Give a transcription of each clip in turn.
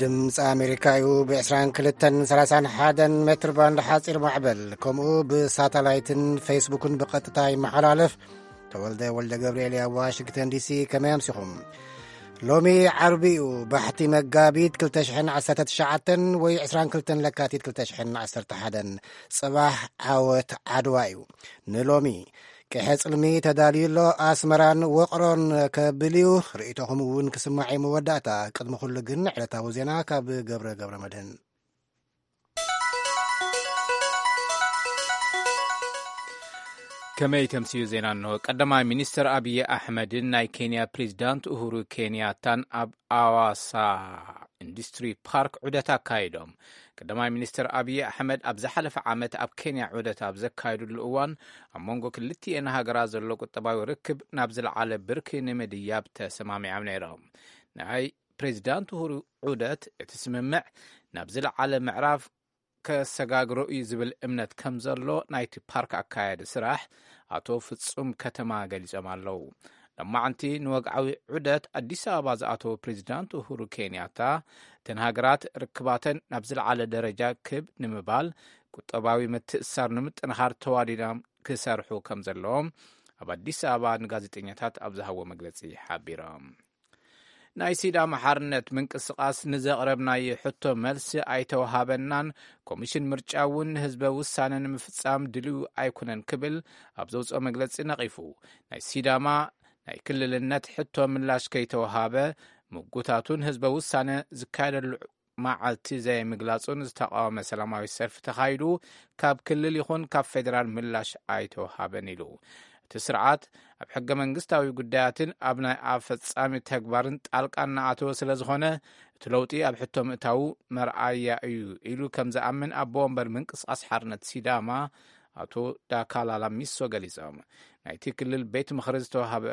ድምፂ ኣሜሪካ እዩ። ብ22 31 ሜትር ባንድ ሓፂር ማዕበል፣ ከምኡ ብሳተላይትን ፌስቡክን ብቐጥታ ይመሓላለፍ። ተወልደ ወልደ ገብርኤል ኣብ ዋሽንግተን ዲሲ። ከመይ ኣምሲኹም? ሎሚ ዓርቢ እዩ፣ ባሕቲ መጋቢት ክልተ ሽሕን ዓሰርተ ትሽዓተን ወይ ዕስራን ክልተን ለካቲት ክልተ ሽሕን ዓሰርተ ሓደን። ጽባሕ ዓወት ዓድዋ እዩ። ንሎሚ ቅሐ ጽልሚ ተዳልዩ ኣሎ። ኣስመራን ወቕሮን ከብል እዩ። ርእይቶኹም እውን ክስማዕ እዩ። መወዳእታ፣ ቅድሚ ኩሉ ግን ዕለታዊ ዜና ካብ ገብረ ገብረ መድህን። ከመይ ተምስዩ ዜና እንሆ። ቀዳማይ ሚኒስትር ኣብይ ኣሕመድን ናይ ኬንያ ፕሬዚዳንት ኡሁሩ ኬንያታን ኣብ ኣዋሳ ኢንዱስትሪ ፓርክ ዑደት ኣካይዶም። ቀዳማይ ሚኒስትር ኣብይ ኣሕመድ ኣብ ዝሓለፈ ዓመት ኣብ ኬንያ ዑደት ኣብ ዘካየዱሉ እዋን፣ ኣብ መንጎ ክልቲኤን ሃገራት ዘሎ ቁጠባዊ ርክብ ናብ ዝለዓለ ብርኪ ንምድያብ ተሰማሚዖም ነይሮም። ናይ ፕሬዚዳንት ኡሁሩ ዑደት፣ እቲ ስምምዕ ናብ ዝለዓለ ምዕራፍ ከሰጋግሮ እዩ ዝብል እምነት ከም ዘሎ ናይቲ ፓርክ ኣካያዲ ስራሕ ኣቶ ፍጹም ከተማ ገሊጾም ኣለዉ። ሎማዕንቲ ንወግዓዊ ዑደት ኣዲስ ኣበባ ዝኣተወ ፕሬዚዳንት ኡሁሩ ኬንያታ፣ እተን ሃገራት ርክባተን ናብ ዝለዓለ ደረጃ ክብ ንምባል ቁጠባዊ ምትእስሳር ንምጥንኻር ተዋዲዶም ክሰርሑ ከም ዘለዎም ኣብ ኣዲስ ኣበባ ንጋዜጠኛታት ኣብ ዝሃቦ መግለጺ ሓቢሮም። ናይ ሲዳማ ሓርነት ምንቅስቓስ ንዘቕረብናዮ ሕቶ መልሲ ኣይተወሃበናን፣ ኮሚሽን ምርጫ እውን ንህዝበ ውሳነ ንምፍጻም ድልው ኣይኮነን ክብል ኣብ ዘውፅኦ መግለጺ ነቒፉ። ናይ ሲዳማ ናይ ክልልነት ሕቶ ምላሽ ከይተወሃበ፣ ምጉታቱን ህዝበ ውሳነ ዝካየደሉ መዓልቲ ዘይምግላጹን ዝተቃወመ ሰላማዊ ሰልፊ ተኻይዱ፣ ካብ ክልል ይኹን ካብ ፌዴራል ምላሽ ኣይተወሃበን ኢሉ። እቲ ስርዓት ኣብ ሕገ መንግስታዊ ጉዳያትን ኣብ ናይ ኣፈጻሚ ተግባርን ጣልቃ እናኣተወ ስለ ዝኾነ፣ እቲ ለውጢ ኣብ ሕቶ ምእታዉ መርኣያ እዩ ኢሉ ከም ዝኣምን ኣቦ ወንበር ምንቅስቓስ ሓርነት ሲዳማ ኣቶ ዳካላላ ሚሶ ገሊጾም። ናይቲ ክልል ቤት ምኽሪ ዝተዋሃበ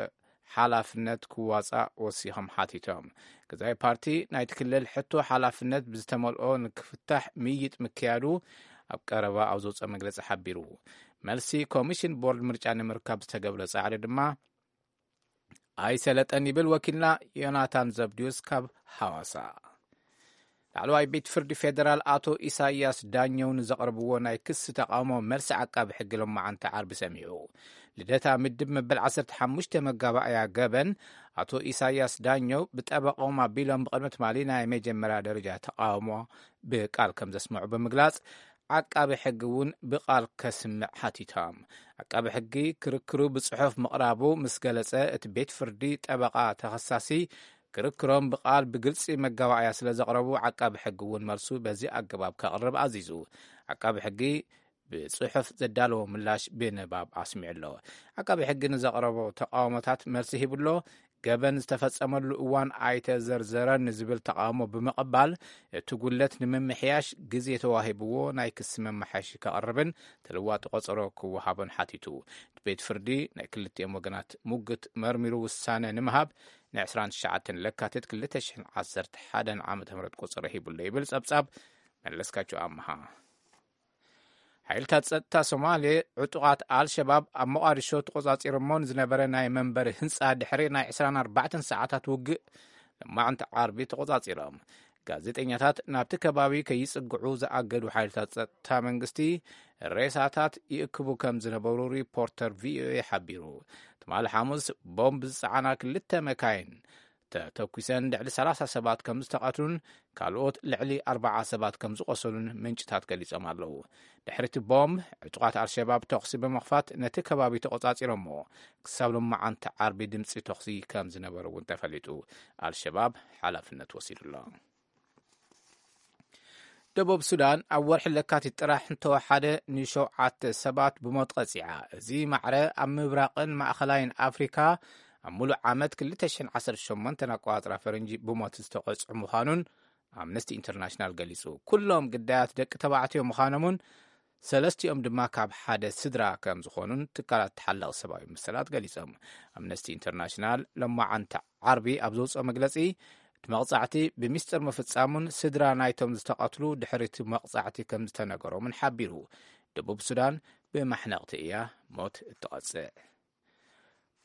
ሓላፍነት ክዋጻእ ወሲኾም ሓቲቶም። ገዛኢ ፓርቲ ናይቲ ክልል ሕቶ ሓላፍነት ብዝተመልኦ ንክፍታሕ ምይይጥ ምክያዱ ኣብ ቀረባ ኣብ ዘውፅኦ መግለጺ ሓቢሩ። መልሲ ኮሚሽን ቦርድ ምርጫ ንምርካብ ዝተገብረ ጻዕሪ ድማ ኣይሰለጠን ይብል ወኪልና ዮናታን ዘብድዮስ ካብ ሃዋሳ። ላዕለዋይ ቤት ፍርዲ ፌደራል ኣቶ ኢሳያስ ዳኘው ንዘቕረብዎ ናይ ክሲ ተቓውሞ መልሲ ዓቃቢ ሕጊ ሎማዓንቲ ዓርቢ ሰሚዑ። ልደታ ምድብ መበል ዓሰርተ ሓሙሽተ መጋባእያ ገበን ኣቶ ኢሳያስ ዳኘው ብጠበቆም ኣቢሎም ብቕድሚ ትማሊ ናይ መጀመርያ ደረጃ ተቓውሞ ብቃል ከም ዘስምዑ ብምግላጽ፣ ዓቃቢ ሕጊ እውን ብቃል ከስምዕ ሓቲቶም። ዓቃቢ ሕጊ ክርክሩ ብጽሑፍ ምቕራቡ ምስ ገለጸ፣ እቲ ቤት ፍርዲ ጠበቓ ተኸሳሲ ክርክሮም ብቃል ብግልጺ መጋባእያ ስለ ዘቕረቡ፣ ዓቃቢ ሕጊ እውን መልሱ በዚ ኣገባብ ከቕርብ ኣዚዙ። ዓቃቢ ሕጊ ብጽሑፍ ዘዳለዎ ምላሽ ብንባብ ኣስሚዑ ኣሎ። ዓቃቢ ሕጊ ንዘቕረቦ ተቃውሞታት መልሲ ሂቡ ኣሎ። ገበን ዝተፈጸመሉ እዋን ኣይተዘርዘረን ንዝብል ተቃውሞ ብምቕባል፣ እቲ ጉድለት ንምምሕያሽ ግዜ ተዋሂብዎ ናይ ክሲ መመሓየሺ ከቕርብን ተለዋጢ ቆጸሮ ክወሃቦን ሓቲቱ። እቲ ቤት ፍርዲ ናይ ክልቲኦም ወገናት ሙግት መርሚሩ ውሳነ ንምሃብ ን ዕስራን ትሽዓተን ለካቲት ክልተ ሽሕን ዓሰርተ ሓደን ዓመተ ምህረት ቆጸሮ ሂቡሎ ይብል ጸብጻብ መለስካቸው ኣምሃ። ሓይልታት ጸጥታ ሶማሌ ዕጡቓት ኣልሸባብ ኣብ ሞቓዲሾ ተቖጻጺሮሞ ንዝነበረ ናይ መንበሪ ህንጻ ድሕሪ ናይ ዕስራን ኣርባዕተን ሰዓታት ውግእ፣ ሎማዕንቲ ዓርቢ ተቖጻጺሮም። ጋዜጠኛታት ናብቲ ከባቢ ከይጽግዑ ዝኣገዱ ሓይልታት ጸጥታ መንግስቲ፣ ሬሳታት ይእክቡ ከም ዝነበሩ ሪፖርተር ቪኦኤ ሓቢሩ። ትማሊ ሓሙስ ቦምብ ዝጸዓና ክልተ መካይን ተተኲሰን ልዕሊ ሰላሳ ሰባት ከም ዝተቐትሉን ካልኦት ልዕሊ ኣርባዓ ሰባት ከም ዝቖሰሉን ምንጭታት ገሊጾም ኣለዉ። ድሕሪ እቲ ቦምብ፣ ዕጡቓት ኣልሸባብ ተኹሲ ብምኽፋት ነቲ ከባቢ ተቖጻጺሮሞ፣ ክሳብ ሎማዓንቲ ዓርቢ ድምጺ ተኹሲ ከም ዝነበረ እውን ተፈሊጡ። ኣልሸባብ ሓላፍነት ወሲዱ ኣሎ። ደቡብ ሱዳን ኣብ ወርሒ ለካቲት ጥራሕ እንተወሓደ ንሸውዓተ ሰባት ብሞት ቀጺዓ። እዚ ማዕረ ኣብ ምብራቕን ማእኸላይን ኣፍሪካ ኣብ ሙሉእ ዓመት ክልተ ሽሕን ዓሰርተ ሸሞንተን ኣቆጻጽራ ፈረንጂ ብሞት ዝተቐጽዑ ምዃኑን ኣምነስቲ ኢንተርናሽናል ገሊጹ። ኩሎም ግዳያት ደቂ ተባዕትዮ ምዃኖምን ሰለስቲኦም ድማ ካብ ሓደ ስድራ ከም ዝኾኑን ትካላት ተሓላቒ ሰብኣዊ መሰላት ገሊጾም። ኣምነስቲ ኢንተርናሽናል ሎማዓንቲ ዓርቢ ኣብ ዘውፅኦ መግለጺ፣ እቲ መቕጻዕቲ ብሚስጥር ምፍጻሙን ስድራ ናይቶም ዝተቐትሉ ድሕሪ እቲ መቕጻዕቲ ከም ዝተነገሮምን ሓቢሩ። ደቡብ ሱዳን ብማሕነቕቲ እያ ሞት እትቐጽዕ።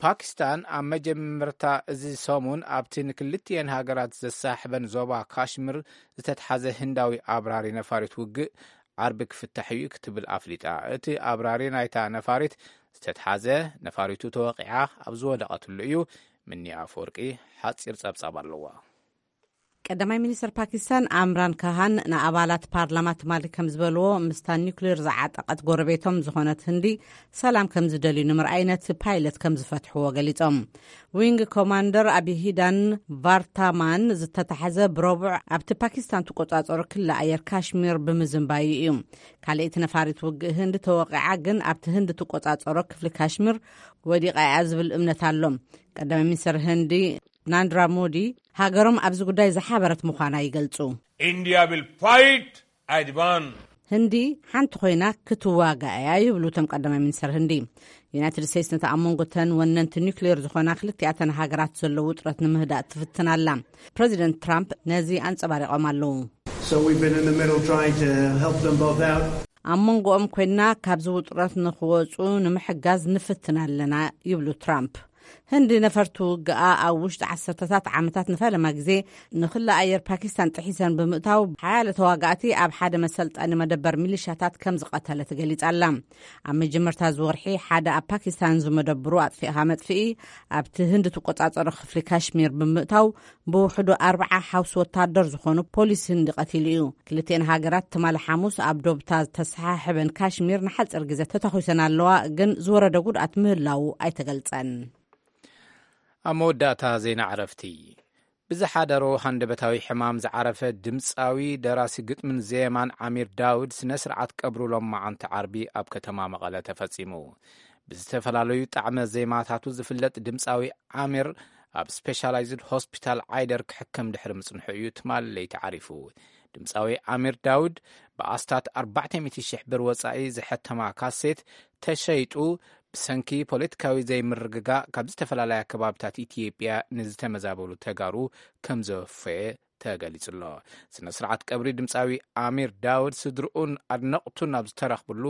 ፓኪስታን ኣብ መጀመርታ እዚ ሰሙን ኣብቲ ንክልቲኤን ሃገራት ዘሳሕበን ዞባ ካሽሚር ዝተትሓዘ ህንዳዊ ኣብራሪ ነፋሪት ውግእ ዓርቢ ክፍታሕ እዩ ክትብል ኣፍሊጣ። እቲ ኣብራሪ ናይታ ነፋሪት ዝተትሓዘ፣ ነፋሪቱ ተወቒዓ ኣብ ዝወደቐትሉ እዩ። ምኒ ኣፈወርቂ ሓጺር ጸብጻብ ኣለዋ። ቀዳማይ ሚኒስትር ፓኪስታን ኣምራን ካሃን ንኣባላት ፓርላማ ትማሊ ከም ዝበልዎ፣ ምስታ ኒውክሌር ዝዓጠቐት ጎረቤቶም ዝኾነት ህንዲ ሰላም ከም ዝደልዩ ንምርኣይ ነቲ ፓይለት ከም ዝፈትሕዎ ገሊጾም። ዊንግ ኮማንደር ኣቢሂዳን ቫርታማን ዝተታሕዘ ብረቡዕ ኣብቲ ፓኪስታን ትቆጻጸሮ ክሊ ኣየር ካሽሚር ብምዝንባዩ እዩ። ካልኣይቲ ነፋሪት ውግእ ህንዲ ተወቂዓ፣ ግን ኣብቲ ህንዲ ትቆጻጸሮ ክፍሊ ካሽሚር ወዲቓ እያ ዝብል እምነት ኣሎ። ቀዳማይ ሚኒስትር ህንዲ ናንድራ ሞዲ ሃገሮም ኣብዚ ጉዳይ ዝሓበረት ምዃና ይገልጹ። India will fight Advan። ህንዲ ሓንቲ ኮይና ክትዋጋእ እያ ይብሉ እቶም ቀዳማይ ሚኒስትር ህንዲ። ዩናይትድ ስቴትስ ነቲ ኣብ መንጎ ተን ወነንቲ ኒውክሌር ዝኾና ክልቲኣተን ሃገራት ዘሎ ውጥረት ንምህዳእ ትፍትን ኣላ። ፕረዚደንት ትራምፕ ነዚ ኣንጸባሪቖም ኣለዉ። So we've been in the middle trying to help them both out. ኣብ መንጎኦም ኮይና ካብዚ ውጥረት ንኽወጹ ንምሕጋዝ ንፍትን ኣለና ይብሉ ትራምፕ። ህንዲ ነፈርቲ ውግኣ ኣብ ውሽጢ ዓሰርተታት ዓመታት ንፈለማ ግዜ ንክሊ ኣየር ፓኪስታን ጥሒሰን ብምእታው ሓያለ ተዋጋእቲ ኣብ ሓደ መሰልጠኒ መደበር ሚሊሻታት ከም ዝቐተለት ገሊጻ ኣላ። ኣብ መጀመርታ እዚ ወርሒ ሓደ ኣብ ፓኪስታን ዝመደብሩ ኣጥፊእኻ መጥፍኢ ኣብቲ ህንዲ ትቆጻጸሮ ክፍሊ ካሽሚር ብምእታው ብውሕዱ ኣርብዓ ሓውሲ ወታደር ዝኾኑ ፖሊስ ህንዲ ቀቲሉ እዩ። ክልቲኤን ሃገራት ትማሊ ሓሙስ ኣብ ዶብታ ዝተሰሓሕበን ካሽሚር ንሓጺር ግዜ ተታኺሰን ኣለዋ፣ ግን ዝወረደ ጉድኣት ምህላዉ ኣይተገልጸን። ኣብ መወዳእታ ዜና ዕረፍቲ። ብዝሓደሮ ሃንደበታዊ ሕማም ዝዓረፈ ድምጻዊ፣ ደራሲ ግጥምን ዜማን ዓሚር ዳውድ ስነ ስርዓት ቀብሩ ሎማዓንቲ ዓርቢ ኣብ ከተማ መቐለ ተፈጺሙ። ብዝተፈላለዩ ጣዕመ ዜማታቱ ዝፍለጥ ድምጻዊ ዓሚር ኣብ ስፔሻላይዝድ ሆስፒታል ዓይደር ክሕከም ድሕሪ ምጽንሑ እዩ ትማሊ ለይቲ ዓሪፉ። ድምጻዊ ዓሚር ዳውድ ብኣስታት ኣርባዕተ ሚእቲ ሽሕ ብር ወጻኢ ዝሐተማ ካሴት ተሸይጡ ብሰንኪ ፖለቲካዊ ዘይምርግጋእ ካብ ዝተፈላለያ ከባብታት ኢትዮጵያ ንዝተመዛበሉ ተጋሩ ከም ዘወፈየ ተገሊጹ ኣሎ። ስነ ስርዓት ቀብሪ ድምጻዊ ኣሚር ዳውድ ስድርኡን ኣድነቕቱን ኣብ ዝተረኽብሉ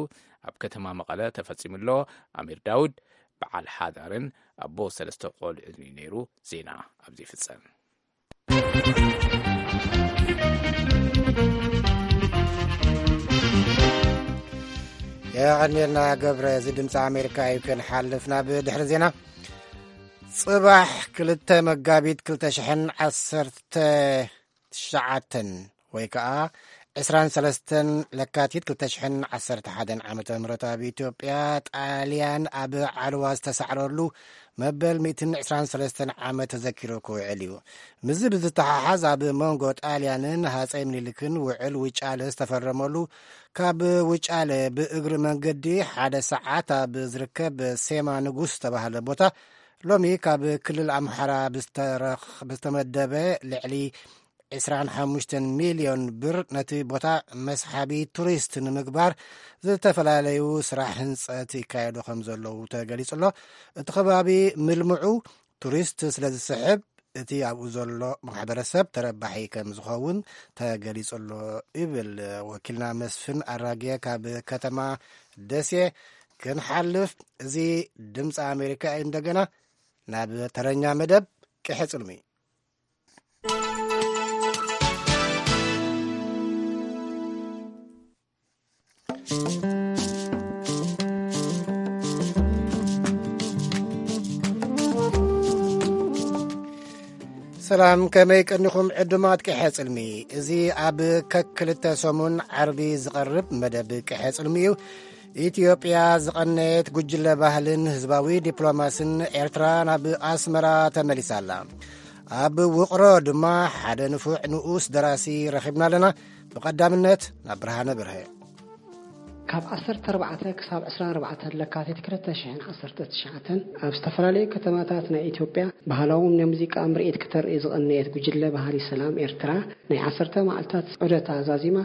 ኣብ ከተማ መቐለ ተፈጺሙ ኣሎ። ኣሚር ዳውድ በዓል ሓዳርን ኣቦ ሰለስተ ቆልዑን እዩ ነይሩ። ዜና ኣብዚ ይፍጸም። የቐንየልና ገብረ። እዚ ድምፂ ኣሜሪካ እዩ። ክንሓልፍ ናብ ድሕሪ ዜና። ጽባሕ ክልተ መጋቢት ክልተ ሽሕን ዓሰርተ ትሽዓተን ወይ ከዓ ዕስራን ሰለስተን ለካቲት ክልተ ሽሕን ዓሰርተ ሓደን ዓመተ ምህረት ኣብ ኢትዮጵያ ጣልያን ኣብ ዓድዋ ዝተሳዕረሉ መበል ሚእትን ዕስራን ሰለስተን ዓመት ተዘኪሩ ክውዕል እዩ። ምስዚ ብዝተሓሓዝ ኣብ መንጎ ጣልያንን ሃፀይ ምኒልክን ውዕል ውጫለ ዝተፈረመሉ፣ ካብ ውጫለ ብእግሪ መንገዲ ሓደ ሰዓት ኣብ ዝርከብ ሴማ ንጉስ ዝተባህለ ቦታ፣ ሎሚ ካብ ክልል ኣምሓራ ብዝተረኽ-፣ ብዝተመደበ ልዕሊ ዕስራን ሓሙሽተን ሚልዮን ብር ነቲ ቦታ መስሓቢ ቱሪስት ንምግባር ዝተፈላለዩ ስራሕ ህንፀት ይካየዱ ከም ዘለዉ ተገሊጹ ኣሎ። እቲ ከባቢ ምልምዑ ቱሪስት ስለ ዝስሕብ፣ እቲ ኣብኡ ዘሎ ማሕበረሰብ ተረባሒ ከም ዝኸውን ተገሊጹ ኣሎ ይብል ወኪልና መስፍን ኣራጌ ካብ ከተማ ደሴ። ክንሓልፍ፣ እዚ ድምፂ ኣሜሪካ እዩ። እንደገና ናብ ተረኛ መደብ ቅሐ ጽልሚ። ሰላም፣ ከመይ ቀኒኹም ዕዱማት ቅሐ ጽልሚ? እዚ ኣብ ከክልተ ሰሙን ዓርቢ ዝቐርብ መደብ ቅሐ ጽልሚ እዩ። ኢትዮጵያ ዝቐነየት ጉጅለ ባህልን ህዝባዊ ዲፕሎማስን ኤርትራ ናብ ኣስመራ ተመሊሳ ኣላ። ኣብ ውቕሮ ድማ ሓደ ንፉዕ ንኡስ ደራሲ ረኺብና ኣለና። ብቐዳምነት ናብ ብርሃነ በርሀ። ካብ ዓሰርተ ኣርባዕተ ክሳብ ዕስራን ኣርባዕተን ለካቲት ክልተ ሽሕን ዓሰርተ ትሽዓተን ኣብ ዝተፈላለዩ ከተማታት ናይ ኢትዮጵያ ባህላዊ ናይ ሙዚቃ ምርኢት ክተርኢ ዝቐነየት ጉጅለ ባህሊ ሰላም ኤርትራ ናይ ዓሰርተ መዓልታት ዑደታ ዛዚማ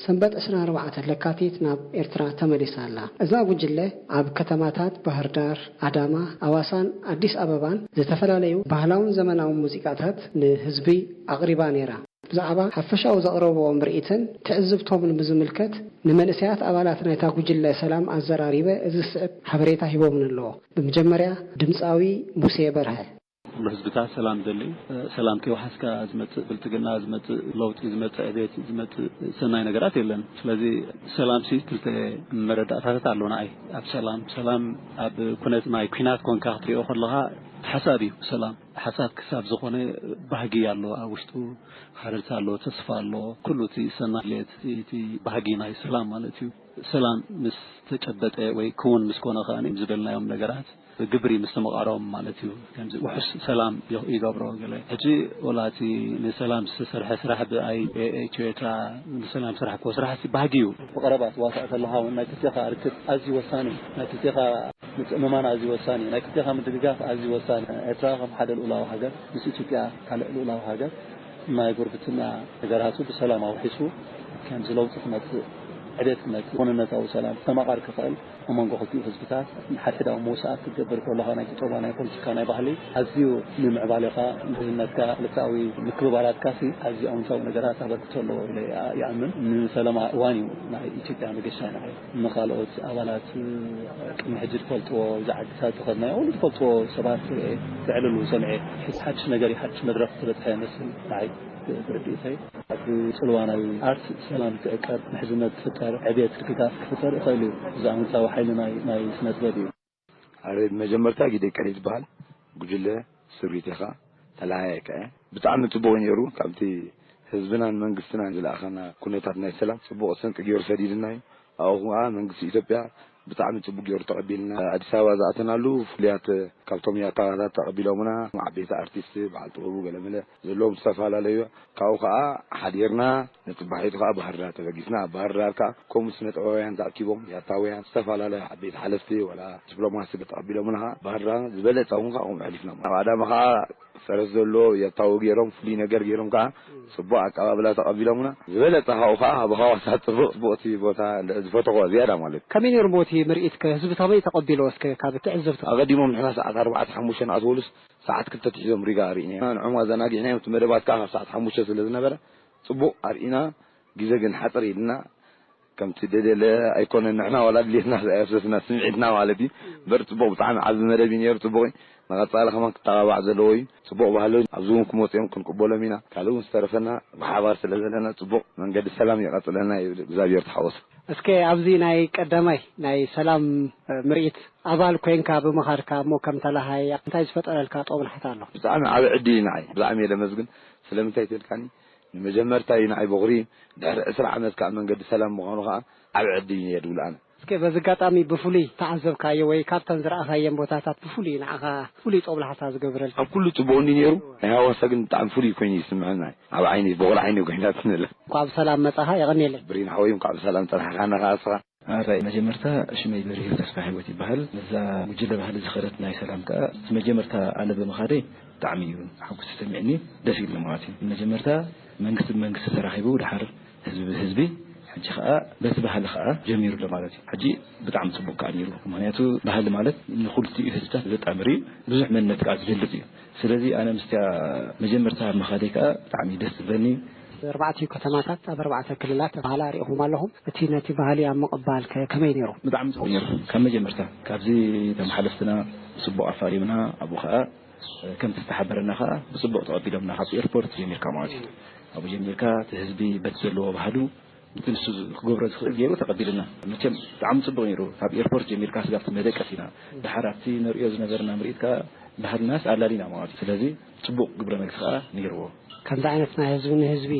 ሰንበት ዕስራን ኣርባዕተን ለካቲት ናብ ኤርትራ ተመሊሳ ኣላ። እዛ ጉጅለ ኣብ ከተማታት ባህር ዳር፣ ኣዳማ፣ ኣዋሳን ኣዲስ ኣበባን ዝተፈላለዩ ባህላውን ዘመናውን ሙዚቃታት ንህዝቢ ኣቕሪባ ነይራ። ብዛዕባ ሓፈሻዊ ዘቕረብዎ ምርኢትን ትዕዝብቶምን ብዝምልከት ንመንእሰያት ኣባላት ናይታ ጉጅለ ሰላም ኣዘራሪበ እዚ ዝስዕብ ሓበሬታ ሂቦምኒ ኣለዎ። ብመጀመርያ ድምፃዊ ሙሴ በርሀ። ኩሉ ህዝብታት ሰላም ደሊ። ሰላም ከይወሓስካ ዝመጽእ ብልጽግና፣ ዝመጽእ ለውጢ፣ ዝመጽእ ዕቤት፣ ዝመጽእ ሰናይ ነገራት የለን። ስለዚ ሰላምሲ ክልተ መረዳእታታት ኣሎ ንዓይ። ኣብ ሰላም ሰላም ኣብ ኩነት ናይ ኲናት ኮንካ ክትሪኦ ከለኻ ሓሳብ እዩ ሰላም። ሓሳብ ክሳብ ዝኾነ ባህጊ ኣሎ ኣብ ውሽጡ፣ ሃረርታ ኣሎ፣ ተስፋ ኣሎ። ኩሉ እቲ ሰናይ ድሌት እቲ ባህጊ ናይ ሰላም ማለት እዩ። ሰላም ምስ ተጨበጠ ወይ ክውን ምስ ኮነ ከኣ ዝደልናዮም ነገራት ብግብሪ ምስ ተመቓረቦም ማለት እዩ። ከምዚ ውሑስ ሰላም ይገብሮ ገለ። ሕጂ ወላ እቲ ንሰላም ዝተሰርሐ ስራሕ ብኣይ ኤ- ኢትዮ ኤርትራ ንሰላም ስራሕ እኮ ስራሕ ባህጊ እዩ። ብቐረባ ትዋሳእ ከለኻ እውን ናይ ክልቴኻ ርክብ ኣዝዩ ወሳኒ እዩ። ናይ ክልቴኻ ምትእምማን ኣዝዩ ወሳኒ እዩ። ናይ ክልቴኻ ምድግጋፍ ኣዝዩ ወሳኒ እዩ። ኤርትራ ከም ሓደ ልኡላዊ ሃገር ምስ ኢትዮጵያ ካልእ ልኡላዊ ሃገር ናይ ጉርብትና ነገራቱ ብሰላም ኣውሒሱ ከምዚ ለውጢ ክመጽእ፣ ዕቤት ክመጽእ፣ ክውንነታዊ ሰላም ክስተማቐር ክኽእል ኣብ መንጎ ክልቲኡ ህዝብታት ንሓድሕዳዊ ምውሳኣት ክትገብር ከለኻ ናይ ቁጠባ፣ ናይ ፖለቲካ፣ ናይ ባህሊ ኣዝዩ ንምዕባሌኻ፣ ምሕዝነትካ፣ ክልተኣዊ ምክብባራትካሲ ኣዝዩ ኣውንታዊ ነገራት ኣበርክቶ ኣለዎ ኢለ ይኣ- ይኣምን። ንሰላማ እዋን እዩ ናይ ኢትዮጵያ መገሻ ንዓይ። ንኻልኦት ኣባላት ቅድሚ ሕጂ ዝፈልጥዎ፣ እዚ ዓድታት ዝኸድናዮ፣ ኩሉ ዝፈልጥዎ ሰባት የዕልሉ ሰምዔ። ሕጂ ሓድሽ ነገር እዩ፣ ሓድሽ መድረኽ ዝበጽሐ ይመስል ንዓይ ብርድኢተይ። ኣብ ጽልዋ ናይ ኣርት ሰላም ክዕቀብ፣ ምሕዝነት ክፍጠር፣ ዕብየት ድግጋፍ ክፍጠር ይኽእል እዩ። እዚ ኣወንታዊ ሓይሊ ናይ ናይ ስነ ጥበብ እዩ። ኣረ ብመጀመርታ ጊደ ቀሪ ዝበሃል ጉጅለ ስሪት ኢኻ ተለሃየከ ብጣዕሚ ጽቡቕ ነይሩ። ካብቲ ህዝብናን መንግስትናን ዝለኣኸና ኩነታት ናይ ሰላም ጽቡቕ ስንቂ ገይሩ ሰዲድና እዩ። ኣብኡ ከዓ መንግስቲ ኢትዮጵያ ብጣዕሚ ጽቡቕ ገይሩ ተቐቢልና። ኣዲስ ኣበባ ዝኣተናሉ ፍሉያት ካብቶም ያታዋታት ተቐቢሎምና፣ ዓበይቲ ኣርቲስት፣ በዓል ጥበቡ ገለመለ ዘለዎም ዝተፈላለዩ። ካብኡ ከዓ ሓዲርና ንጽባሒቱ ከዓ ባህር ዳር ተበጊስና። ኣብ ባህር ዳር ከዓ ከምኡ ስነ ጥበባውያን ተኣኪቦም፣ ያታውያን፣ ዝተፈላለዩ ዓበይቲ ሓለፍቲ፣ ወላ ዲፕሎማሲ ተቐቢሎምና። ከዓ ባህር ዳር ዝበለጸ እውን ከዓ ከምኡ ኣሕሊፍና። ኣብ ኣዳማ ከዓ ፈረስ ዘለዎ ያታዊ ገይሮም፣ ፍሉይ ነገር ገይሮም ከዓ ጽቡቕ ኣቀባብላ ተቐቢሎምና። ዝበለጸ ካብኡ ከዓ ኣብ ሃዋሳ ጽቡቕ፣ ጽቡቕ እቲ ቦታ ዝፈተኽዎ ዝያዳ ማለት እዩ። ከመይ ነይሩ እሞ እቲ ምርኢት ከ ህዝቢ ከመይ ተቐቢልዎ እስከ ካብ ትዕዝብቲ? ኣቐዲሞም ንሕና ሰዓት ኣርባዕተ ሓሙሽተ ንኣትወሉስ ሰዓት ክልተ ኣቲሑ ዞም ሪጋ ኣርኢና ኢና። ንዖም ኣዘናጊዕናዮም። እቲ መደባት ከዓ ካብ ሰዓት ሓሙሽተ ስለ ዝነበረ ጽቡቕ ኣርኢና። ግዜ ግን ሓጽር ኢልና ከምቲ ደደለ ኣይኮነን። ንሕና ዋላ ድሌትና ኣየፍሰስና፣ ስምዒትና ማለት እዩ። እምበር ጽቡቕ፣ ብጣዕሚ ዓቢ መደብ እዩ ነይሩ። ጽቡቕ እዩ። ንቐጻሊ ከማን ክተባባዕ ዘለዎ እዩ። ጽቡቕ ባህሊ ኣብዚ እውን ክመጽኦም ክንቅበሎም ኢና። ካልእ እውን ዝተረፈና ብሓባር ስለ ዘለና ጽቡቕ መንገዲ ሰላም የቐጽለና ይብል። እግዚኣብሔር ተሓወሱ። እስከ ኣብዚ ናይ ቀዳማይ ናይ ሰላም ምርኢት ኣባል ኮይንካ ብምኻድካ እሞ ከም ተላሃይ እንታይ ዝፈጠረልካ ጦብላሕታ ኣሎ? ብጣዕሚ ዓቢ ዕድል እዩ ንዓይ። ብጣዕሚ እየ ለመስግን። ስለምንታይ ተልካኒ ንመጀመርታ እዩ ንዓይ በኹሪ። ድሕሪ ዕስራ ዓመት ከዓ መንገዲ ሰላም ምዃኑ ከዓ ዓቢ ዕድል እዩ ነይሩ ዝብል ኣነ። እስከ በዚ ኣጋጣሚ ብፍሉይ ተዓዘብካዮ ወይ ካብተን ዝረኣኻየን ቦታታት ብፍሉይ ንዓኻ ፍሉይ ጦብላሕታ ዝገብረልካ? ኣብ ኩሉ ጽቡቕ እንዲ ነይሩ፣ ናይ ሃዋሳ ግን ብጣዕሚ ፍሉይ ኮይኑ ይስምዐና። ኣብ ዓይኒ በኹሪ ዓይኒ ኮይናትኒ ኣላ። እንኳዕ ብሰላም መጻኻ፣ የቐንየለይ። ብሪን ሓወይ እንኳዕ ብሰላም ጸናሕካና ከዓ እስኻ። ኣራይ መጀመርታ ሽመይ በሪሁ ተስፋ ህይወት ይበሃል። ነዛ ጉጅለ ባህሊ ዝኸደት ናይ ሰላም ከኣ እቲ መጀመርታ ኣነ ብምኻደይ ብጣዕሚ እዩ ሓጎስ ተሰሚዕኒ፣ ደስ ኢልኒ ማለት እዩ። መጀመርታ መንግስቲ ብመንግስቲ ተራኺቡ ድሓር ህዝቢ ብህዝቢ ሕጂ ከኣ በቲ ባህሊ ከኣ ጀሚሩ ኣሎ ማለት እዩ። ሕጂ ብጣዕሚ ጽቡቅ ከኣ ነይሩ። ምኽንያቱ ባህሊ ማለት ንኽልቲኡ ህዝብታት ዘጣምር እዩ፣ ብዙሕ መንነት ከኣ ዝገልጽ እዩ። ስለዚ ኣነ ምስቲያ መጀመርታ ምኻደይ ከኣ ብጣዕሚ ደስ ዝብለኒ። ኣርባዕቲኡ ከተማታት ኣብ ኣርባዕተ ክልላት ባህሊ ኣሪእኹም ኣለኹም። እቲ ነቲ ባህሊ ኣብ ምቕባል ከ ከመይ ነይሩ? ብጣዕሚ ጽቡቕ ነይሩ። ካብ መጀመርታ ካብዚ እቶም ሓለፍትና ብጽቡቕ ኣፋሪምና፣ ኣብኡ ከኣ ከምቲ ዝተሓበረና ከኣ ብጽቡቕ ተቐቢሎምና። ካብ ኤርፖርት ጀሚርካ ማለት እዩ። ኣብኡ ጀሚርካ እቲ ህዝቢ በቲ ዘለዎ ባህሉ እቲ ንሱ ክገብሮ ዝኽእል ገይሩ ተቐቢሉና። መቸም ብጣዕሚ ጽቡቕ ነይሩ። ካብ ኤርፖርት ጀሚርካ ስጋብ እቲ መደቀሲና፣ ድሓር ኣብቲ ንርእዮ ዝነበርና ምርኢት ከኣ ባህልናስ ኣላሊና ማለት እዩ። ስለዚ ጽቡቕ ግብረ መልሲ ከኣ ነይርዎ። ከምዚ ዓይነት ናይ ህዝቢ ንህዝቢ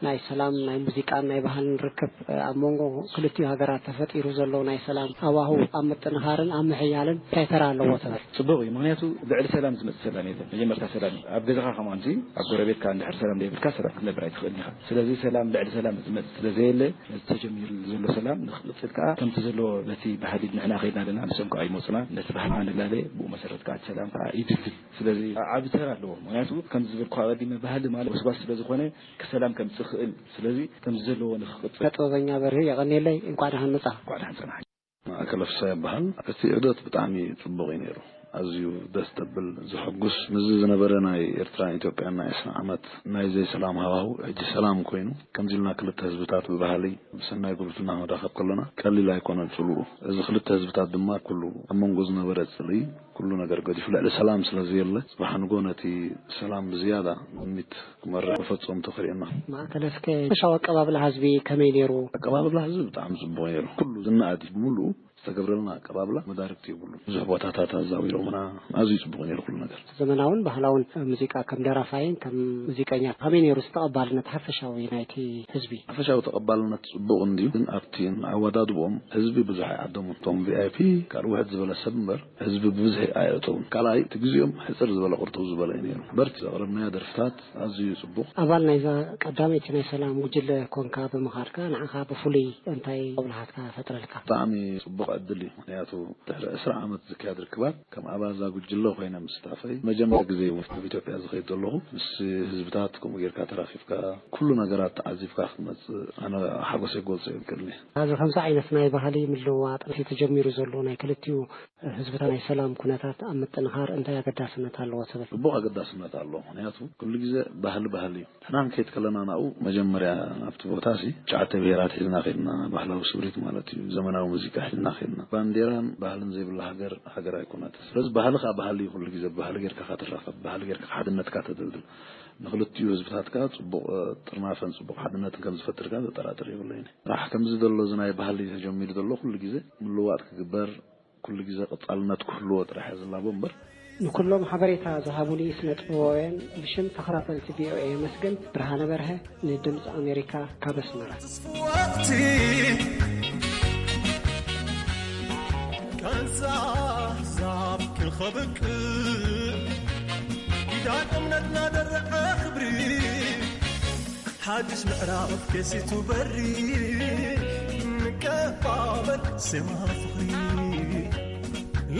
ናይ ሰላም፣ ናይ ሙዚቃን ናይ ባህልን ርክብ ኣብ መንጎ ክልቲኡ ሃገራት ተፈጢሩ ዘሎ ናይ ሰላም ሃዋህው ኣብ ምጥንኻርን ኣብ ምሕያልን እንታይ ተራ ኣለዎ ትብል? ጽቡቕ እዩ። ምኽንያቱ ልዕሊ ሰላም ዝመጽእ ሰላም የለን። መጀመርታ ሰላም እዩ። ኣብ ገዛኻ ከማንሲ ኣብ ጎረቤትካ እንድሕር ሰላም ዘይብልካ ሰላም ክትነብር ኣይትኽእልን ኢኻ። ስለዚ ሰላም ልዕሊ ሰላም ዝመጽእ ስለ ዘየለ ነቲ ተጀሚሩ ዘሎ ሰላም ንኽቕጽል ከኣ ከምቲ ዘለዎ በቲ ባህሊ ንሕና ከይድና ኣለና፣ ንሶም ከኣ ይመጹና። ነቲ ባህልና ንላለ ብኡ መሰረት ከኣ እቲ ሰላም ከኣ ይድልድል። ስለዚ ዓቢ ተራ ኣለዎ። ምኽንያቱ ከምዚ ዝበልኩ ኣቐዲመ ባህሊ ማለት ወስዋስ ስለ ዝኾነ ሰላም ከምጽእ ይኽእል። ስለዚ ከምዚ ዘለዎ ንኽቕጽል። ጥበበኛ በርሂ የቐንየለይ፣ እንኳዕ ደሓን መጻ። እንኳዕ ደሓን ጸናሕ። ማእከለ ፍስሃ ይበሃል። እቲ ዑደት ብጣዕሚ ጽቡቕ እዩ ነይሩ። ኣዝዩ ደስ ዘብል፣ ዘሐጉስ፣ ምስዚ ዝነበረ ናይ ኤርትራን ኢትዮጵያን ናይ ዕስራ ዓመት ናይ ዘይሰላም ሃዋሁ፣ ሕጂ ሰላም ኮይኑ፣ ከምዚ ኢልና ክልተ ህዝብታት ብባህሊ ብሰናይ ጉርብትና ክንራኸብ ከለና ቀሊል ኣይኮነን ጽልኡ። እዚ ክልተ ህዝብታት ድማ ኩሉ ኣብ መንጎ ዝነበረ ጽልኢ ኩሉ ነገር ገዲፉ ልዕሊ ሰላም ስለ ዘየለ፣ ጽባሕ ንጎ ነቲ ሰላም ብዝያዳ ሚት ክመርሕ መፈጸምቱ ክርእየና። ማእከል እስከ ሓፈሻዊ ኣቀባብላ ህዝቢ ከመይ ነይሩ? ኣቀባብላ ህዝቢ ብጣዕሚ ጽቡቕ ነይሩ። ኩሉ ዝነኣድ ብምሉኡ ዝተገብረልና ኣቀባብላ መዳርግቲ የብሉን። ብዙሕ ቦታታት ኣዛዊሮምና፣ ኣዝዩ ጽቡቕ ነይሩ ኩሉ ነገር። ዘመናውን ባህላውን ሙዚቃ ከም ደራፋይን ከም ሙዚቀኛ ከመይ ነይሩ ተቐባልነት ሓፈሻዊ ናይቲ ህዝቢ? ሓፈሻዊ ተቐባልነት ጽቡቕ እንድዩ፣ ግን ኣብቲ ኣወዳድቦም ህዝቢ ብዙሕ ኣይዓደሙን። እቶም ቪ ኣይ ፒ ካልእ ውሕድ ዝበለ ሰብ እምበር ህዝቢ ብብዝሒ ኣየእተውን። ካልኣይ እቲ ግዜኦም ሕጽር ዝበለ ቅርጥው ዝበለ እዩ ነይሩ። በርቲ ዘቕረብናዮ ደርፍታት ኣዝዩ ጽቡቕ። ኣባል ናይዛ ቀዳመይቲ ናይ ሰላም ጉጅለ ኮንካ ብምኻድካ ንዓኻ ብፍሉይ እንታይ ጦብላሓትካ ፈጥረልካ? ብጣዕሚ ጽቡቕ ዕድል እዩ። ምኽንያቱ ድሕሪ ዕስራ ዓመት ዝካየድ ርክባት ከም ኣባል እዛ ጉጅለ ኮይነ ምስታፈይ መጀመርያ ግዜ እዩ ኣብ ኢትዮጵያ ዝኸይድ ዘለኹ። ምስ ህዝብታት ከምኡ ጌርካ ተራኺብካ ኩሉ ነገራት ተዓዚብካ ክትመጽእ ኣነ ሓጎሰይ ክገልጾ ኣይክእልን እየ። ኣብዚ ከምዚ ዓይነት ናይ ባህሊ ምልውዋጥ እቲ ተጀሚሩ ዘሎ ናይ ክልቲኡ ህዝብታት ናይ ሰላም ኩነታት ኣብ ምጥንኻር እንታይ ኣገዳስነት ኣለዎ ትብል? ጽቡቕ ኣገዳስነት ኣለዎ። ምኽንያቱ ኩሉ ግዜ ባህሊ ባህሊ እዩ። ንሕና ክንከይድ ከለና ናብኡ መጀመርያ ናብቲ ቦታ ሲ ትሽዓተ ብሄራት ሒዝና ከድና፣ ባህላዊ ስምሪት ማለት እዩ። ዘመናዊ ሙዚቃ ሒዝና ከድና። ባንዴራን ባህልን ዘይብላ ሃገር፣ ሃገር ኣይኮነትን። ስለዚ ባህሊ ከኣ ባህሊ እዩ። ኩሉ ግዜ ብባህሊ ጌርካ ኢኻ ትራኸብ፣ ብባህሊ ጌርካ ሓድነትካ ተደልድል። ንክልቲኡ ህዝብታት ከኣ ጽቡቕ፣ እ፣ ጥርናፈን ጽቡቕ ሓድነትን ከም ዝፈጥር ከኣ ዘጠራጥር የብለይን። ጥራሕ ከምዚ ዘሎ እዚ ናይ ባህሊ ተጀሚሩ ዘሎ ኩሉ ግዜ ምልዋጥ ክግበር፣ ኩሉ ግዜ ቀጻልነት ክህልዎ ጥራሕ እየ ዝላቦ እምበር። ንኩሎም ሓበሬታ ዝሃቡኒ ስነ ጥበባውያን ብሽም ተኸታተልቲ ቪ ኦ ኤ የመስግን። ብርሃነ በርሀ ንድምፂ ኣሜሪካ ካብ ኣስመራ። ወቅቲ ቃንዛ ኣሕዛብ ክኸብቅ ኪዳን እምነትና ደረቐ ክብሪ ሓድሽ ምዕራፍ ከሲቱ በሪ ንቀባበል ዜማ ፍቕሪ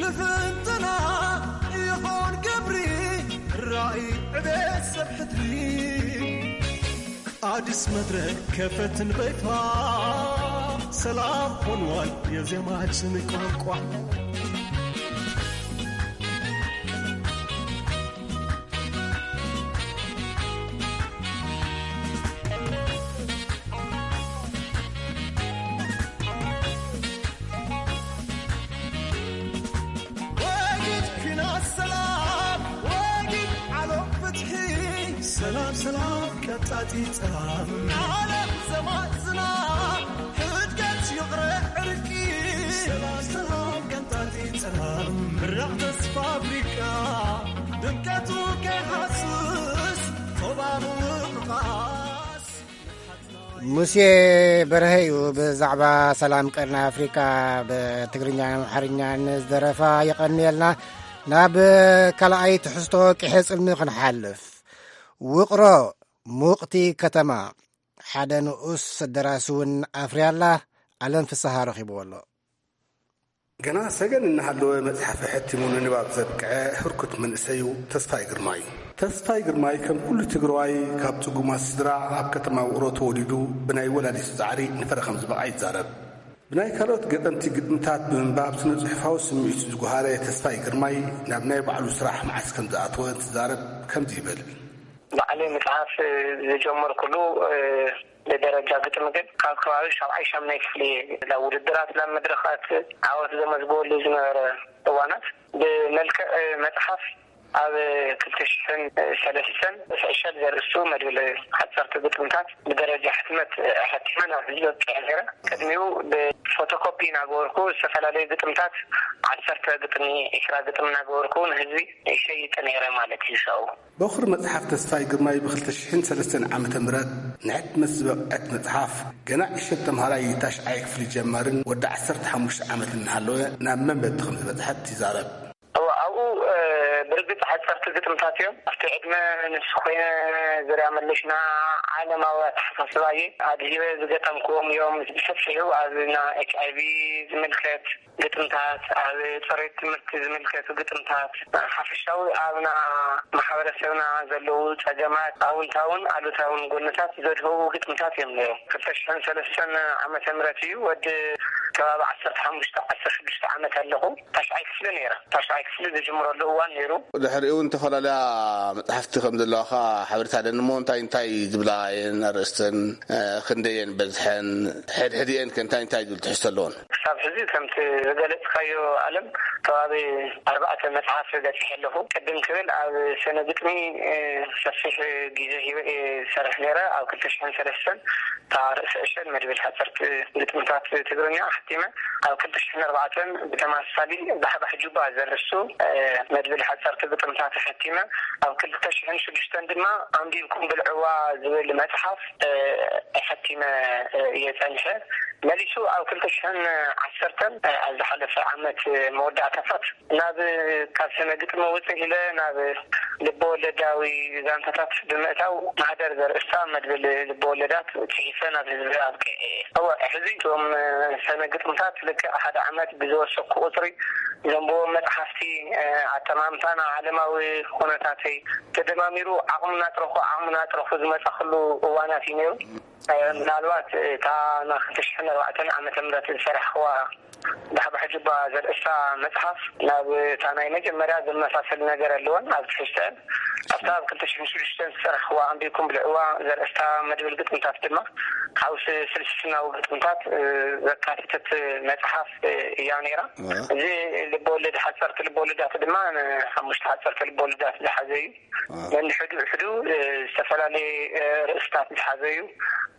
ልፍንትና ይኾን ገብሪ ራእይ ዕቤት ሰብ ሕድሪ ኣዲስ መድረክ ከፈትን በይፋ ሰላም ሆንዋል የዜማችን ቋንቋ። ወጊድ ኲናት ሰላም፣ ወጊድ ዓለም ፍትሒ፣ ሰላም፣ ሰላም ቀጣጢ ጸላም፣ ዓለም ዘማዝና፣ ሕድገት ይቕረ ዕርቂ፣ ሰላም፣ ሰላም ቀጣጢ ጸላም፣ ምራቕ ተስፋ ኣፍሪቃ፣ ድምቀቱ ከይሃስስ፣ ቶባቡ ምቓስ። ሙሴ በርሀ እዩ ብዛዕባ ሰላም ቀርኒ ኣፍሪካ ብትግርኛን ኣምሓርኛን ዝደረፋ። የቐንየልና። ናብ ካልኣይ ትሕዝቶ ቅሔ ጽልሚ ክንሓልፍ። ውቕሮ ሙቕቲ ከተማ ሓደ ንኡስ ደራሲ እውን ኣፍርያላ። ኣለም ፍስሃ ረኺብዎ ኣሎ። ገና ሰገን እናሃለወ መጽሓፈ ሕቲሙ ንንባብ ዘብቅዐ ህርኩት መንእሰይ እዩ ተስፋይ ግርማይ። ተስፋይ ግርማይ ከም ኩሉ ትግራዋይ ካብ ጽጉማት ስድራ ኣብ ከተማ ውቕሮ ተወሊዱ ብናይ ወላዲቱ ጻዕሪ ንፍረ ከም ዝበቕዐ ይዛረብ። ብናይ ካልኦት ገጠምቲ ግጥምታት ብምንባብ ስነ ጽሑፋዊ ስምዒቱ ዝጓሃረ ተስፋይ ግርማይ ናብ ናይ ባዕሉ ስራሕ መዓስ ከም ዝኣተወ እንትዛረብ ከምዚ ይብል። ባዕለይ መጽሓፍ ዝጀመርኩሉ ብደረጃ ግጥሚ ግን ካብ ከባቢ ሻብዓይ ሻምናይ ክፍሊ እየ ናብ ውድድራት ናብ መድረኻት ዓወት ዘመዝግበሉ ዝነበረ እዋናት ብመልክዕ መጽሓፍ ኣብ ክልተ ሽሕን ሰለስተን ዕሸል ዘርእስቱ መድብል ሓጸርቲ ግጥምታት ብደረጃ ሕትመት ኣሕቲመ ናብ ህዝቢ ኣብቂዐ ነይረ። ቅድሚኡ ብፎቶኮፒ እናገበርኩ ዝተፈላለዩ ግጥምታት ዓሰርተ ግጥሚ፣ ዕስራ ግጥሚ እናገበርኩ ንህዝቢ ይሸይጥ ነይረ ማለት እዩ። ሰው በኹሪ መጽሓፍ ተስፋይ ግርማይ ብኽልተ ሽሕን ሰለስተን ዓመተ ምህረት ንሕትመት ዝበቕዐት መጽሓፍ፣ ገና ዕሸል ተምሃራይ ታሽዓይ ክፍሊ ጀማርን ወዲ ዓሰርተ ሓሙሽተ ዓመት እናሃለወ ናብ መንበብቲ ከም ዝበጽሐት ይዛረብ። እወ፣ ኣብኡ፣ እ፣ ብርግጽ ሓጸርቲ ግጥምታት እዮም። ኣብቲ ዕድመ ንሱ ኮይነ ዙርያ መለሽና ዓለማዊ ኣተሓሳስባ እየ ኣድሂበ ዝገጠምክዎም እዮም። ብሰፊሑ ኣብና ኤች ኣይ ቪ ዝምልከት ግጥምታት፣ ኣብ ጽሬት ትምህርቲ ዝምልከቱ ግጥምታት፣ ሓፈሻዊ ኣብና ማሕበረሰብና ዘለዉ ጸገማት፣ ኣውንታውን ኣሉታውን ጎንታት ዘድህቡ ግጥምታት እዮም ነይሮም። ክልተ ሽሕን ሰለስተን ዓመተ ምህረት እዩ። ወዲ ከባቢ ዓሰርተ ሓሙሽተ ዓሰርተ ሽዱሽተ ዓመት ኣለኹ። ታሽዓይ ክፍሊ ነይረ። ታሽዓይ ክፍሊ ዝጅምረሉ እዋን ነይሩ። ድሕሪኡ እውን ዝተፈላለያ መጽሓፍቲ ከም ዘለዋኻ ሓበሬታ ኣለኒ እሞ፣ እንታይ እንታይ ዝብላ እየን ኣርእስተን? እ፣ ክንደየን በዝሐን? ሕድሕድኤን ከ እንታይ እንታይ ዝብል ትሕዝቶ ኣለዎን? ክሳብ ሕዚ ከምቲ ዝገለጽካዮ ኣለም፣ ከባቢ ኣርባዕተ መጽሓፍ በጺሐ ኣለኹ። ቅድም ክብል ኣብ ስነ ግጥሚ፣ እ፣ ሰፊሕ ግዜ ሂበ እየ ዝሰርሕ ነይረ። ኣብ ክልተ ሽሕን ሰለስተን እታ ርእሰ ዕሸል መድብል ሓጸርቲ ግጥምታት ትግርኛ ኣሕቲመ። ኣብ ክልተ ሽሕን ኣርባዕተን ብተመሳሳሊ ባሕባሕ ጁባ ዘርእስቱ፣ እ፣ መድብል ሓጸርቲ ግጥምታት ኣሕቲመ። ኣብ ክልተ ሽሕን ሽዱሽተን ድማ ኣንቢብኩም ብልዕዋ ዝብል መጽሓፍ፣ እ፣ ኣሕቲመ፣ እ፣ እየ ጸኒሐ። መሊሱ ኣብ ክልተ ሽሕን ዓሰርተን፣ እ፣ ኣብ ዝሓለፈ ዓመት መወዳእታታት ናብ ካብ ስነ ግጥሚ ውፅእ ኢለ ናብ ልበ ወለዳዊ ዛንታታት ብምእታው ማህደር ዘርእስታ መድብል ልበ ወለዳት ፅሒፈ ናብ ህዝቢ ኣብቂዐ እየ። እወ፣ ሕዚ እቶም ሰነ ግጥምታት ልክዕ ሓደ ዓመት ብዝወሰኩ ቁፅሪ ዘንብቦም መፅሓፍቲ፣ ኣጠማምታና ዓለማዊ ኩነታተይ ተደማሚሩ ዓቕሚ እናጥረኹ ዓቕሚ እናጥረኹ ዝመፃኽሉ እዋናት እዩ ነይሩ። ምናልባት እታ ናይ ክልተ ሽሕን ኣርባዕተን ዓመተ ምህረት ዝሰራሕኽዋ ዳሕባሕ ጁባ ዘርእስታ መጽሓፍ ናብ እታ ናይ መጀመርያ ዝመሳሰል ነገር ኣለወን ኣብ ትሕዝተን። ኣብታ ኣብ ክልተ ሽሕን ሽዱሽተን ዝሰራሕኽዋ ኣንቢብኩም ብልዕዋ ዘርእስታ መድብል ግጥምታት ድማ ሓውሲ ፍልስፍናዊ ግጥምታት፣ እ፣ ዘካተተት መጽሓፍ፣ እ፣ እያ ነይራ። ዋ። እዚ ልበወለድ ሓጸርቲ ልበወለዳት ድማ ንሓሙሽተ ሓጸርቲ ልበወለዳት ዝሓዘ እዩ። ዋ። ነንሕዱ ሕዱ፣ እ፣ ዝተፈላለየ፣ እ፣ ርእስታት ዝሓዘ እዩ።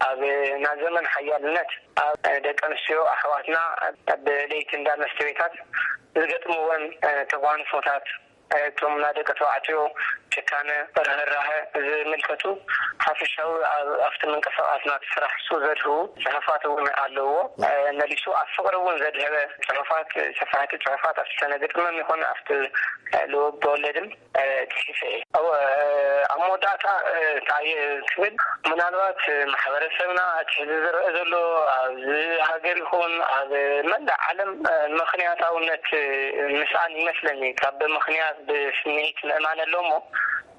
ኣብ፣ እ፣ ናይ ዘመን ሓያልነት ኣብ ደቂ ኣንስትዮ ኣሕዋትና ኣብ ለይቲ እንዳ መስተቤታት ዝገጥምወን፣ እ፣ ተጓንፎታት፣ እ፣ እቶም ናይ ደቂ ተባዕትዮ ጭካነ፣ ርህራሀ ዝምልከቱ ሓፈሻዊ ኣብ፣ ኣብቲ ምንቅስቃስና እቲ ስራሕ እሱ ዘድህቡ ጽሑፋት እውን ኣለዎ። እ፣ መሊሱ ኣብ ፍቕሪ እውን ዘድህበ ጽሑፋት፣ ሰፋሕቲ ጽሑፋት ኣብቲ ሰነ ግጥምን ይኹን ኣብቲ፣ እ፣ ልወብ ወለድን እ፣ ጽሒፈ እየ። እወ፣ እ፣ ኣብ መወዳእታ፣ እ፣ እንታይ እየ ክብል፣ ምናልባት፣ እ፣ ማሕበረሰብና እቲ ሕዚ ዝረአ ዘሎ ኣብዚ ሃገር ይኹን ኣብ መላእ ዓለም፣ እ፣ ምኽንያታውነት፣ እ፣ ምስኣን ይመስለኒ። ካብ ብምኽንያት ብስምዒት ምእማን ኣሎ እሞ፣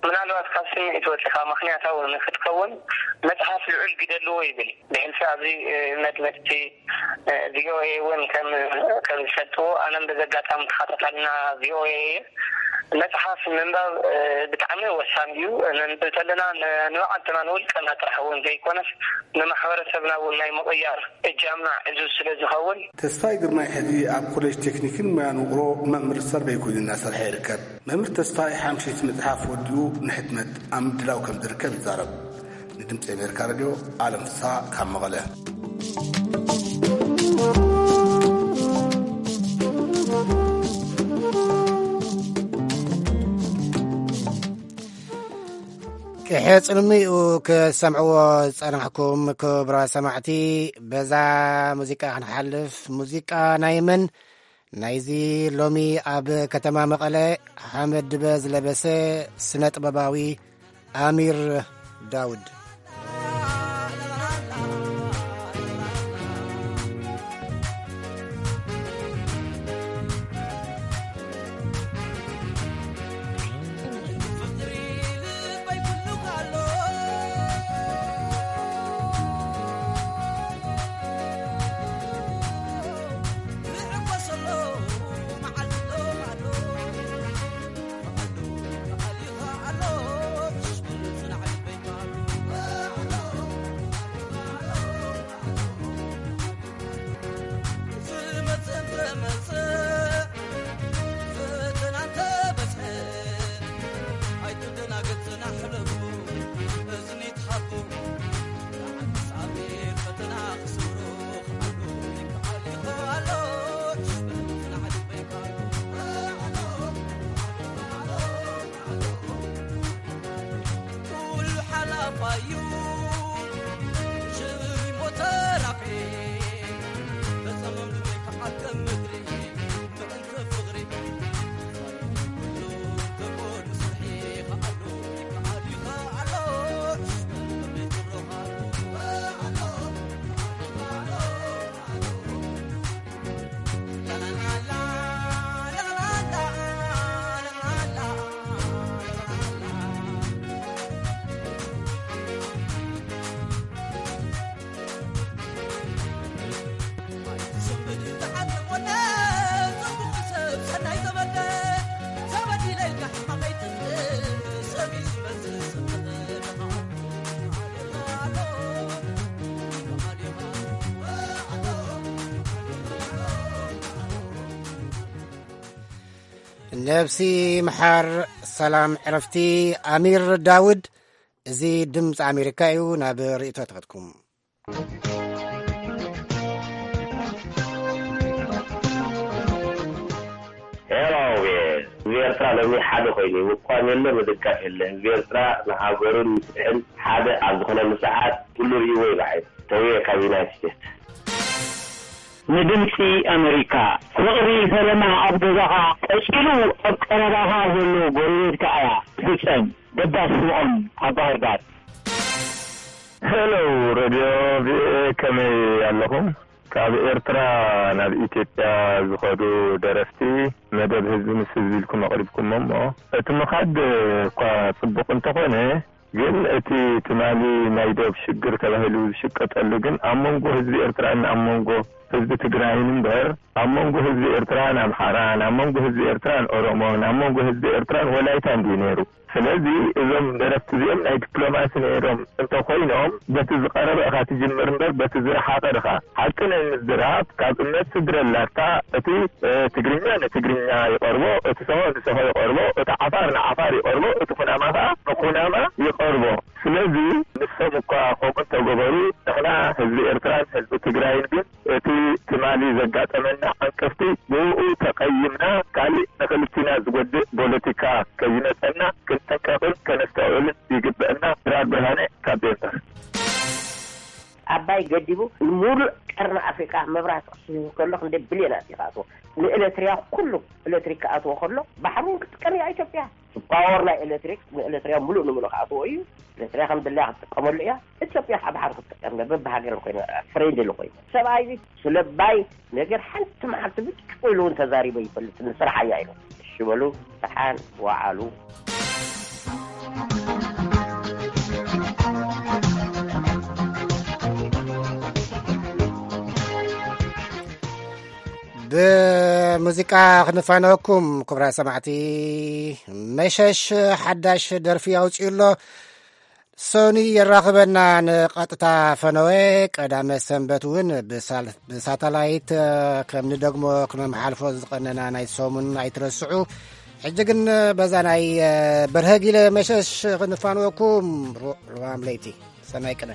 ምናልባት ካብ ስምዒት ወጺኻ ምኽንያታዊ ንክትከውን መጽሓፍ ልዑል ግደ ኣለዎ ይብል። ብሕልፊ ኣብዚ፣ እ፣ መድመጽቲ ቪኦኤ እውን ከም፣ ከም ዝፈልጥዎ፣ ኣነም በዚ ኣጋጣሚ ተኸታታልና ቪኦኤ እየ። መጽሓፍ ምንባብ፣ እ፣ ብጣዕሚ ወሳኒ እዩ። ነንብብ ከለና ን-፣ ንባዕልትና ንውልቀና ጥራሕ እውን ዘይኮነስ ንማሕበረሰብና እውን ናይ ምቕያር እጃምና ዕዙዝ ስለ ዝኸውን። ተስፋይ ግርማይ ሕዚ ኣብ ኮሌጅ ቴክኒክን ሞያን ውቕሮ መምህር ሰርቬይ ኮይኑ እናሰርሐ ይርከብ። መምህር ተስፋይ ሓምሸይቲ መጽሓፍ ወዲኡ ንሕትመት ኣብ ምድላው ከም ዝርከብ ይዛረብ። ንድምፂ ኣሜሪካ ሬድዮ፣ ኣለም ፍስሃ ካብ መቐለ። ቅድሚ ክሰምዕዎ ዝጸናሕኩም ክቡራት ሰማዕቲ፣ በዛ ሙዚቃ ክንሓልፍ፣ ሙዚቃ ናይ መን? ናይዚ ሎሚ ኣብ ከተማ መቐለ ሓመድ ድበ ዝለበሰ ስነ ጥበባዊ ኣሚር ዳውድ። ነብሲ ምሓር፣ ሰላም ዕረፍቲ። ኣሚር ዳውድ፣ እዚ ድምፂ ኣሜሪካ እዩ። ናብ ርእይቶታትኩም። ሄሎ፣ ህዝቢ ኤርትራ ሎሚ ሓደ ኮይኑ እዩ። ምቋም የለ፣ ምድጋፍ የለ። ህዝቢ ኤርትራ ንሃገሩን ንፍትሕን ሓደ ኣብ ዝኾነሉ ሰዓት ኩሉ ርእይዎ እዩ ብዓይኑ። ተውየ ካብ ዩናይትድ ስቴትስ። ንድምጺ ኣመሪካ። ፍቕሪ ፈለማ ኣብ ገዛኻ ቀጺሉ ኣብ ቀረባኻ ዘሎ ጎረቤትካ እያ ትፍጸም። ደባስ ስምዖን ኣብ ባህርዳር። ሄሎ፣ ሬድዮ ቪኦኤ፣ ከመይ ኣለኹም? ካብ ኤርትራ ናብ ኢትዮጵያ ዝኸዱ ደረፍቲ፣ መደብ ህዝቢ ምስ ህዝቢ ኢልኩም ኣቕሪብኩሞ እሞ፣ እቲ ምኻድ እኳ ጽቡቕ እንተኾነ፣ ግን እቲ ትማሊ ናይ ዶብ ሽግር ተባሂሉ ዝሽቀጠሉ ግን ኣብ መንጎ ህዝቢ ኤርትራን ኣብ መንጎ ህዝቢ ትግራይን እምበር፣ ኣብ መንጎ ህዝቢ ኤርትራን ኣምሓራን፣ ኣብ መንጎ ህዝቢ ኤርትራን ኦሮሞን፣ ኣብ መንጎ ህዝቢ ኤርትራን ወላይታን ድዩ ነይሩ? ስለዚ እዞም ደረፍቲ እዚኦም ናይ ዲፕሎማሲ ነይሮም እንተኾይኖም፣ በቲ ዝቐረበ ኢኻ ትጅምር እምበር በቲ ዝረሓቐ ድኻ? ሓቂ ናይ ምዝራብ ካብ እምነት ስድረ ኣላታ፣ እቲ ትግርኛ ንትግርኛ ይቐርቦ፣ እቲ ሰሆ ንሰሆ ይቐርቦ፣ እቲ ዓፋር ንዓፋር ይቐርቦ፣ እቲ ኩናማ ኸዓ ንኩናማ ይቐርቦ። ስለዚ ንሶም እኳ ከምኡ እንተገበሩ፣ ንሕና ህዝቢ ኤርትራን ህዝቢ ትግራይን ግን እቲ ትማሊ ዘጋጠመና ዕንቅፍቲ ብኡ ተቐይምና፣ ካሊእ ንክልቲና ዝጎድእ ፖለቲካ ከይመጸና ክንጥንቀቕን ከነስተውዕልን ይግበእና። ድራር ብርሃነ ካብ ዴንቨር። ኣባይ ገዲቡ ንሙሉእ ቀርኒ ኣፍሪቃ መብራህቲ ክስህብ ከሎ ክንደይ ብልዮናት እዩ ክኣትዎ። ንኤለትሪያ ኩሉ ኤለትሪክ ክኣትዎ ከሎ ባሕሪ እውን ክትጥቀም እያ ኢትዮጵያ። ፓወር ናይ ኤለትሪክ ንኤለትሪያ ሙሉእ ንሙሉእ ክኣትዎ እዩ። ኤለትሪያ ከም ድላያ ክትጥቀመሉ እያ። ኢትዮጵያ ከዓ ባሕሪ ክትጥቀም እያ። በብሃገርን ኮይነ ፍሬንድሊ ኮይነ ሰብኣይ እዚ ስለባይ ነገር ሓንቲ መዓልቲ ብጭቁ ኢሉ እውን ተዛሪበ ይፈልጥ። ንስራሕ እያ ኢሉ እሺ በሉ። ደሓን ወዓሉ። ብሙዚቃ ክንፋነወኩም ክቡራት ሰማዕቲ። መሸሽ ሓዳሽ ደርፊ ኣውፅኡ ኣሎ። ሶኒ የራኽበና ንቐጥታ ፈነወ። ቀዳመ ሰንበት እውን ብሳል-፣ ብሳተላይት ከም ንደግሞ ክነመሓልፎ ዝቐነና ናይ ሰሙን ኣይትረስዑ። ሕጂ ግን በዛ ናይ በርሀ ጊለ መሸሽ ክንፋንወኩም። ሩ-፣ ሩባም ለይቲ ሰናይ ቅነ።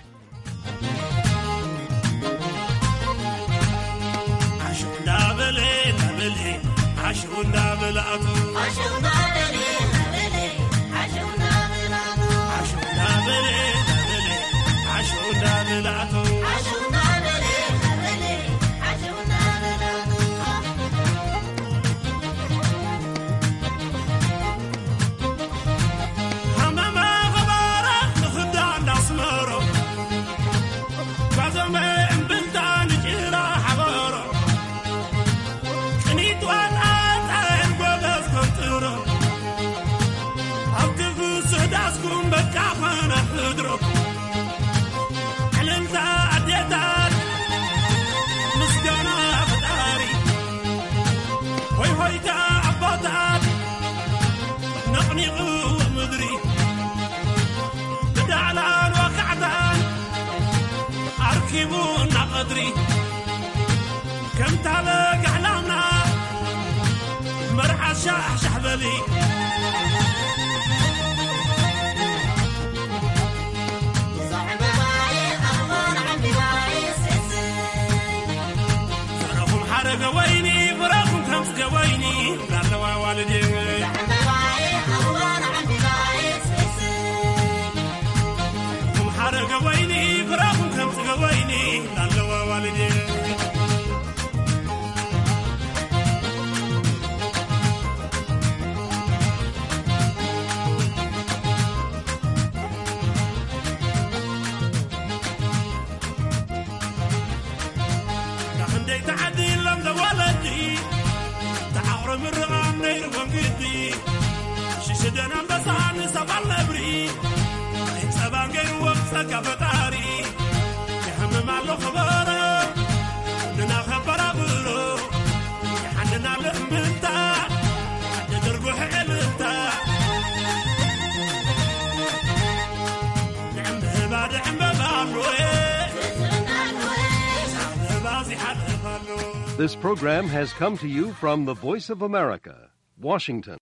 This program has come to you from the Voice of America. Washington.